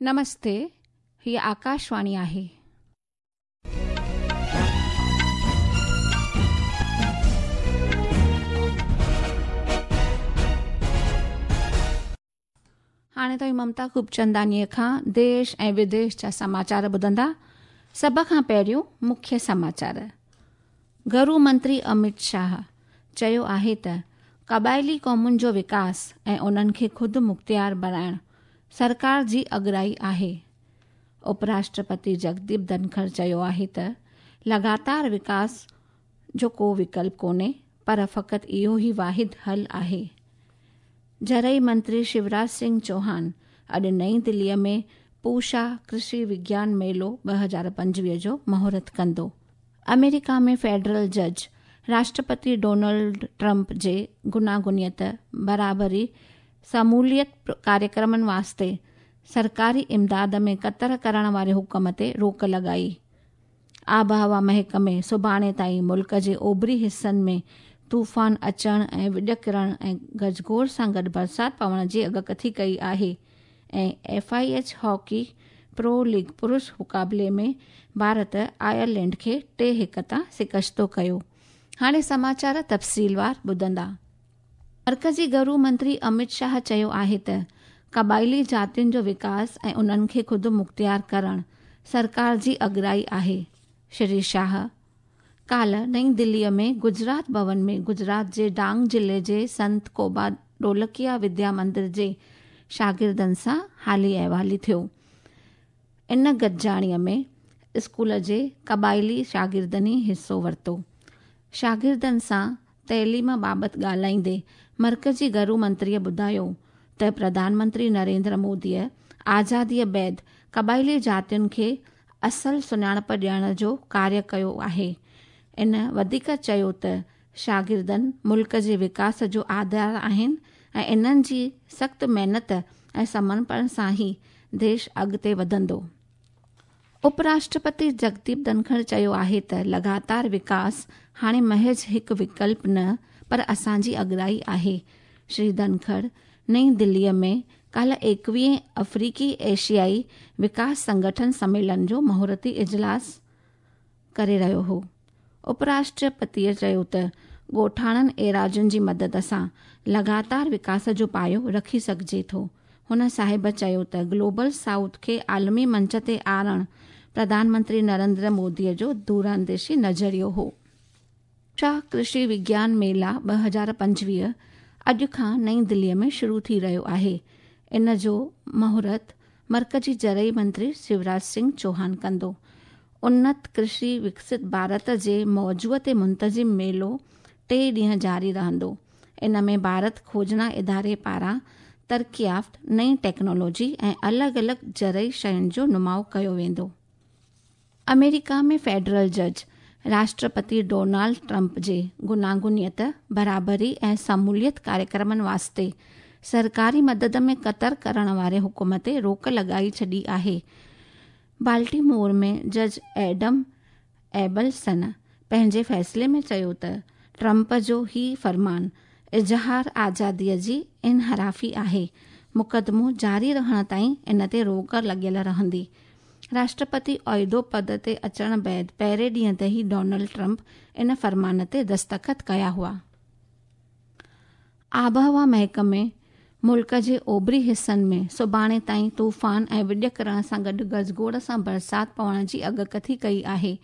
नमस्ते, ही आकाशवाणी आहे. हाणे तव्हीं ममता खूबचंदानीअ खां देश ऐं विदेश जा समाचार ॿुधंदा। सभ खां पहिरियों मुख्य समाचार। घरू मंत्री अमित शाह चयो आहे त क़बाइली क़ौमुनि जो विकास ऐं उन्हनि खे ख़ुदि मुख़्तियार बणाइण सरकार जी अॻुराई आहे। उपराष्ट्रपति जगदीप धनखड़ चयो आहे त लगातार विकास जो को विकल्प कोन्हे, पर फ़क़ति इहो ई वाहिद हल आहे। ज़रई मंत्री शिवराज सिंह चौहान अॼु नई दिल्लीअ में पूषा कृषि विज्ञान मेलो 2025 जो मुहूर्त कंदो। अमेरिका में फेडरल जज राष्ट्रपति डोनाल्ड ट्रंप जे गुनागुनियत, बराबरी, शमूलियत कार्यक्रमनि वास्ते सरकारी इमदाद में कतर करण वारे हुक्म ते रोक लॻाई। आबहवा महकमे सुभाणे ताईं मुल्क जे ओभरी हिसनि में तूफ़ान अचण ऐं विॼ किरण ऐं गजगोर सां गॾु बरसाति पवण जी अॻकथी कई आहे। ऐं F I H hockey pro league पुरुष मुक़ाबले में भारत आयरलैंड खे 3-1 तां शिकस्तो कयो। हाणे समाचार तफ़सीलवार ॿुधंदा। मर्कज़ी घरू मंत्री अमित शाह चयो आहे त क़बाइली जातियुनि जो विकास ऐं उन्हनि खे ख़ुदि मुख़्तियार करण सरकार जी अॻुराई आहे। श्री शाह काल्ह नई दिल्लीअ में गुजरात भवन में गुजरात जे डांग ज़िले जे संत कोबा ढोलकिया विद्या मंदिर जे शागिर्दनि सां हाली अहिवाली थियो। इन गॾिजाणीअ में स्कूल जे क़बाइली शागिर्दनि हिसो वरितो। शागिर्दनि सां तइलीम बाबति ॻाल्हाईंदे मर्कज़ी घरू मंत्रीअ ॿुधायो त प्रधानमंत्री नरेंद्र मोदीअ आज़ादीअ बाद क़बाइली जातियुनि खे असल सुञाणप ॾियण जो कार्य कयो आहे। इन वधीक चयो त शागिर्दनि मुल्क जे विकास जो आधार आहिनि ऐं इन्हनि जी सख़्तु महिनत ऐं समर्पण सां ई देश अॻिते वधंदो। उपराष्ट्रपति जगदीप धनखड़ चयो आहे त लगातार विकास हाणे महज़ हिकु विकल्प न पर असांजी अॻुराई आहे। श्री धनखड़ नई दिल्लीअ में काल्ह 21वें अफ़्रीकी एशियाई विकास संगठन सम्मेलन जो मुहूर्ती इजलास करे रहियो हो। उपराष्ट्रपतीअ चयो त ॻोठाणनि एराज़ुनि जी मदद सां लगातार विकास जो पायो रखी सघिजे थो। हुन साहिब चयो त ग्लोबल साउथ खे आलमी मंच ते आणण प्रधानमंत्री नरेंद्र मोदीअ जो दूरांदेशी नज़रियो हो। शाह कृषि विज्ञान मेला 2025 अॼु खां नई दिल्लीअ में शुरू थी रहियो आहे। इन जो मुहूर्त मर्कज़ी ज़रई मंत्री शिवराज सिंह चौहान कंदो। उन्नत कृषि विकसित भारत जे मौज़ूअ ते मुंतज़िम मेलो 3 ॾींहं जारी रहंदो। इन में भारत खोजना इदारे पारां तरक़ी याफ़्त नई टेक्नोलॉजी ऐं अलॻि अलॻि ज़रई शयुनि जो नुमाउ कयो वेंदो। अमेरिका में फेडरल जज राष्ट्रपति डोनाल्ड ट्रंप जे गुनागुनियत, बराबरी ऐं शमूलियत कार्यक्रमनि वास्ते सरकारी मदद में कतर करण वारे हुक्म ते रोक लॻाई छॾी आहे। बाल्टीमोर में जज एडम एबलसन पंहिंजे फ़ैसिले में चयो त ट्रंप जो ही फरमान इज़हार आज़ादीअ जी इनहराफ़ी आहे। मुक़दमो जारी रहण ताईं इन ते रोक लॻियल रहंदी। राष्ट्रपति ओहिदो पद ते अचण बाद पहिरें ॾींहं ते ई डोनाल्ड ट्रंप इन फरमान ते दस्तख़त कया हुआ। आबहवा महकमे मुल्क जे ओभरी हिसनि में सुभाणे ताईं तूफ़ान ऐं विॼ किरण सां गॾु गजगोड़ सां बरसाति पवण जी अॻकथी कई आहे।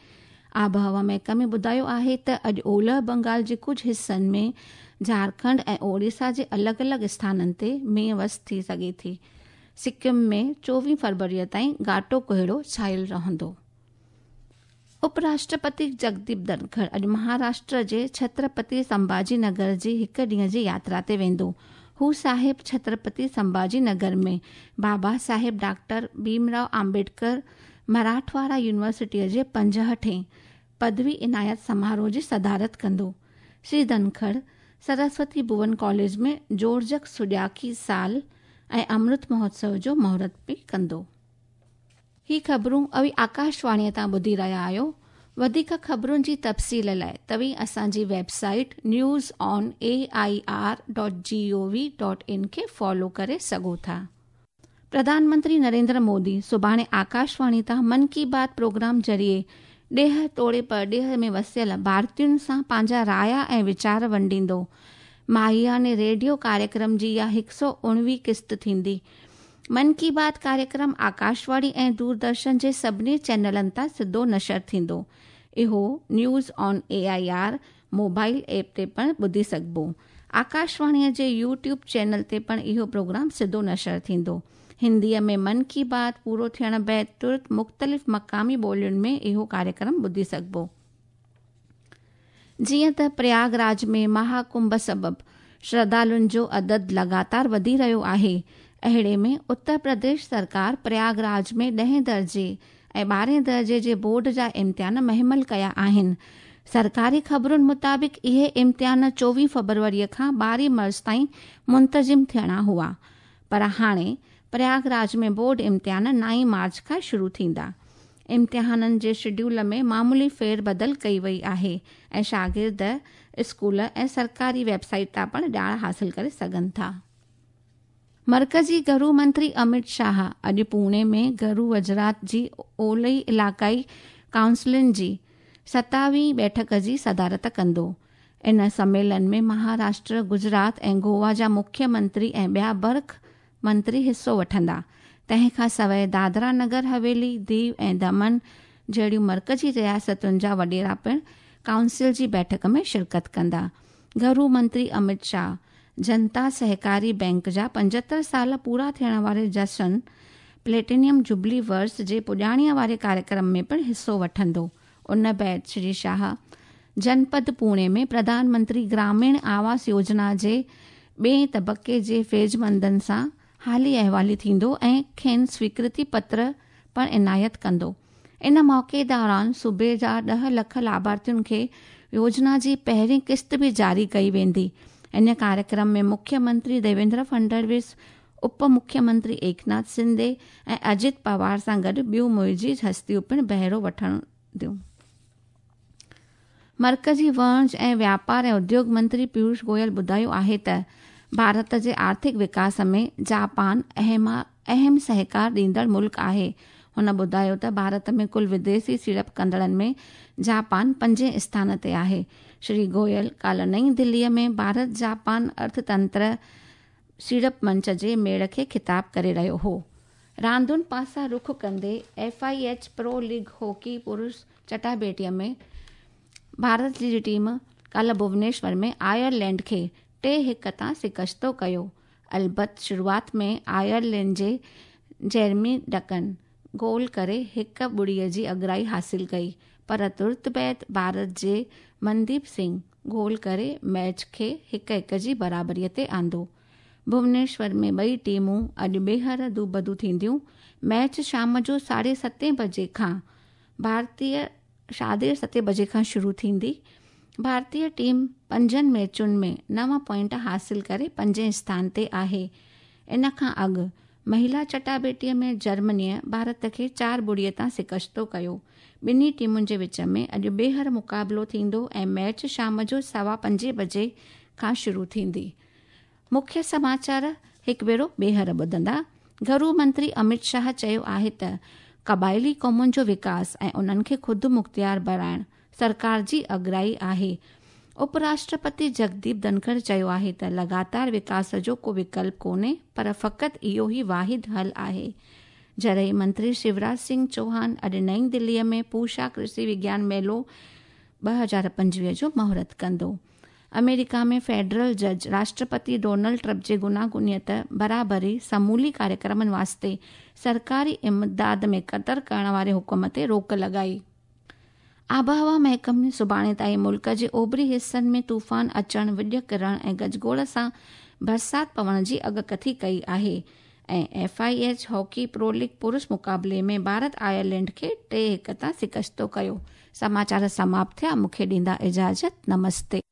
आबहवा महकमे ॿुधायो आहे त अॼु ओलह बंगाल जे कुझु हिसनि में, झारखंड ऐं ओडिशा जे अलॻि अलॻि स्थाननि ते मींहुं वस थी सघे थी। सिक्किम में 24 फरवरीअ ताईं घाटो कोहिड़ो छायल रहंदो। उपराष्ट्रपति जगदीप धनखड़ अॼु महाराष्ट्र जे छत्रपति संभाजी नगर जी हिकु ॾींहं जी यात्रा ते वेंदो। हू साहिब छत्रपति संभाजी नगर में बाबा साहिब डॉक्टर भीमराव आम्बेडकर मराठवाड़ा यूनिवर्सिटीअ जे 65हें पदवी इनायत समारोह जी सदारत कंदो। श्री धनखड़ सरस्वती भुवन कॉलेज में जोड़जक सुॼाकी साल ऐं अमृत महोत्सव जो मुहूर्त बि कंदो। ही ख़बरूं अवी आकाशवाणीअ तां ॿुधी रहिया आहियो। वधीक ख़बरुनि जी तफ़सील लाइ तव्हीं असांजी वेबसाइट newsonair.gov.in खे फॉलो करे सघो था। پرڌان منتري نريندر مودي سڀاڻي آڪاشواڻي تان من ڪي بات پروگرام ذريعي ڏيهه توڙي پرڏيهه ۾ وسيل ڀارتين سان پنهنجا رايا ۽ ويچار ونڊيندو. ماهياني ريڊيو ڪاريڪرم جي اها 119 قسط ٿيندي. من ڪي بات ڪاريڪرم آڪاشواڻي ۽ دوردرشن جي سڀني چينلن تان سڌو نشر ٿيندو. اهو news on A I R mobile app تي پڻ ٻڌي سگهبو. آڪاشواڻيء جي يوٽيوب چينل تي پڻ اهو پروگرام سڌو نشر ٿيندو. هنديء ۾ من ڪي بات پورو ٿيڻ بعد ترت مختلف مقامي ٻولين ۾ اهو ڪاريڪرم ٻڌي سگهبو. جيئن ته پرياگ راج ۾ مها ڪنڀ سبب شرڌالن جو عدد لڳاتار وڌي رهيو آهي، اهڙي ۾ اتر پرديش سرڪار پرياگ راج ۾ ڏهين درجي ۽ ٻارهين درجي جي بورڊ جا امتحان مهمل ڪيا آهن. سرڪاري خبرن مطابق اهي امتحان 24 فبروري کان 12 مارچ تائين منتظم ٿيڻا هئا، پر هاڻي پرياگ راج ۾ بورڊ امتحان 9 مارچ کان شروع ٿيندا. امتحانن جي شيڊيول ۾ معمولي ڦير بدل ڪئي وئي آهي ۽ شاگرد اسڪول ۽ سرڪاري ويب سائيٽ تان پڻ ڄاڻ حاصل ڪري سگهن ٿا. مرڪزي گهرو منتري امت شاهه اڄ پوني ۾ گهرو وزارت جي اولهي علائقائي ڪائونسلن جي 27 بيٺڪ جي صدارت ڪندو. ان سميلن ۾ مهاراشٽر، گجرات ۽ گوا جا مکيه منتري ۽ ٻيا برک منتري حصو وٺندا. تنهن کان سواء دادرا نگر حويلي، ديو ۽ دمن جهڙيون مرڪزي رياستن جا وڏيرا پڻ ڪائونسل جي بيٺڪ ۾ شرڪت ڪندا. گهرو منتري امت شاهه جنتا سهڪاري بئنڪ جا 75 سال پورا ٿيڻ واري جشن پليٽينيم جوبلي ورس جي پڄاڻيء واري ڪاريڪرم ۾ پڻ حصو وٺندو. ان بعد شري شاهه جنپد پوڻي ۾ پرڌان منتري گراميڻ آواس يوجنا جي ٻئين طبقي جي فيضمندن سان حالي احوالي ٿيندو ۽ کين سويڪرتي پتر پڻ عنايت ڪندو. ان موقعي دوران صوبي جا 10 لک لاڀارٿين کي يوجنا جي پهرين قسط به جاري ڪئي ويندي. ان ڪاريڪرم ۾ مکيه منتري ديويندر فڊنويس، اپ مکيه منتري ايڪناٿ شندي ۽ اجيت پوار سان گڏ ٻيون معزز هستيون پڻ بهرو وٺنديون. مرڪزي وڻج ۽ واپار ۽ اديوگ منتري پيوش گويل ٻڌايو آهي ته ڀارت جي آرٿڪ وڪاس ۾ جاپان اهم سهڪار ڏيندڙ ملڪ آهي. هن ٻڌايو ته ڀارت ۾ ڪل وديسي سيڙپ ڪندڙن ۾ جاپان پنجين اسٿان تي آهي. شري گويل ڪالهه نئين دليء ۾ ڀارت جاپان ارٿتنتر سيڙپ منچ جي ميڙ کي خطاب ڪري رهيو هو. راندن پاسا رخ ڪندي F I H pro league hockey پرش چٽاڀيٽيء ۾ ڀارت جي ٽيم ڪالهه ڀونيشور ۾ آئرلينڊ کي 3-1 تان شڪستو ڪيو. البت شروعات ۾ آئرلينڊ جي جيرمي ڊڪن گول ڪري 1-0 جي اڳرائي حاصل ڪئي، پر ترت بعد ڀارت جي منديپ سنگهه گول ڪري ميچ کي 1-1 جي برابريء تي آندو. ڀونيشور ۾ ٻئي ٽيمون اڄ ٻيهر دوبدو ٿينديون. ميچ شام جو 7:30 بجي کان ڀارتي 7:30 بجي کان شروع ٿيندي. ڀارتي ٽيم پنجن ميچن ۾ 9 پوائنٽ حاصل ڪري پنجين اسٿان تي آهي. ان کان اڳ مهلا چٽاڀيٽيء ۾ جرمنيء ڀارت کي 4-0 تان شڪستو ڪيو. ٻنهي ٽيمن جي وچ ۾ اڄ ٻيهر مقابلو ٿيندو ۽ ميچ شام جو 5:15 بجي کان شروع ٿيندي. مکيه سماچار هڪ ڀيرو ٻيهر ٻڌندا. گهرو منتري امت شاهه چيو آهي ته قبائلي قومن جو وڪاس ۽ انهن کي خود مختيار بڻائڻ سرڪار جي اڳرائي آهي. اپ راشٽرپتي جگديپ ڌنکڙ چيو آهي ته لڳاتار وڪاس جو ڪو وڪلپ ڪونهي پر فقط اهو ئي واحد حل آهي. زرعي منتري شيوراج سنگهه چوهان اڄ نئين دليء ۾ پوشا ڪرشي وگيان ميلو 2025 جو مهورت ڪندو. آمريڪا ۾ فيڊرل جج راشٽرپتي ڊونلڊ ٽرمپ جي گوناگونيت، برابري، سمولي ڪاريڪرمن واسطي سرڪاري امداد ۾ ڪتر ڪرڻ واري حڪم تي روڪ لڳائي. آبهوا محڪمي سڀاڻي تائين ملڪ جي اوڀري حصن ۾ طوفان اچڻ، وڄ ڪرڻ ۽ گجگوڙ سان برسات پوڻ جي اڳڪٿي ڪئي آهي ۽ F I H hockey pro league پرش مقابلي ۾ ڀارت آئرلينڊ کي 3-1 تان شڪستو ڪيو. سماچار سماپت ٿيا، مون کي ڏيندا اجازت، نمستي.